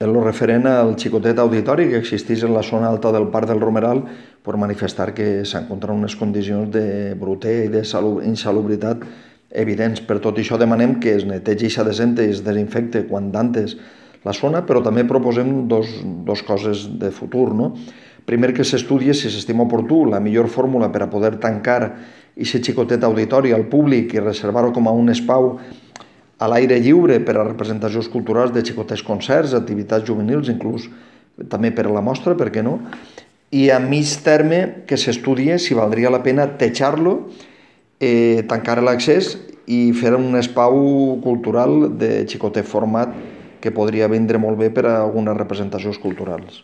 En lo referent al xicotet auditori que existeix en la zona alta del Parc del Romeral, per manifestar que s'encontren unes condicions de brutè i d'insalubritat evidents. Per tot això demanem que es netegi i s'adesente i es desinfecte quan d'antes la zona, però també proposem dos coses de futur, no? Primer, que s'estudie, si s'estima oportú, la millor fórmula per a poder tancar aquest xicotet auditori al públic i reservar-ho com a un espai a l'aire lliure per a representacions culturals de xicotets concerts, activitats juvenils, inclús també per a la mostra, per què no? I a mig terme que s'estudie si valdria la pena tejar-lo, tancar l'accés i fer un espai cultural de xicotet format que podria vindre molt bé per a algunes representacions culturals.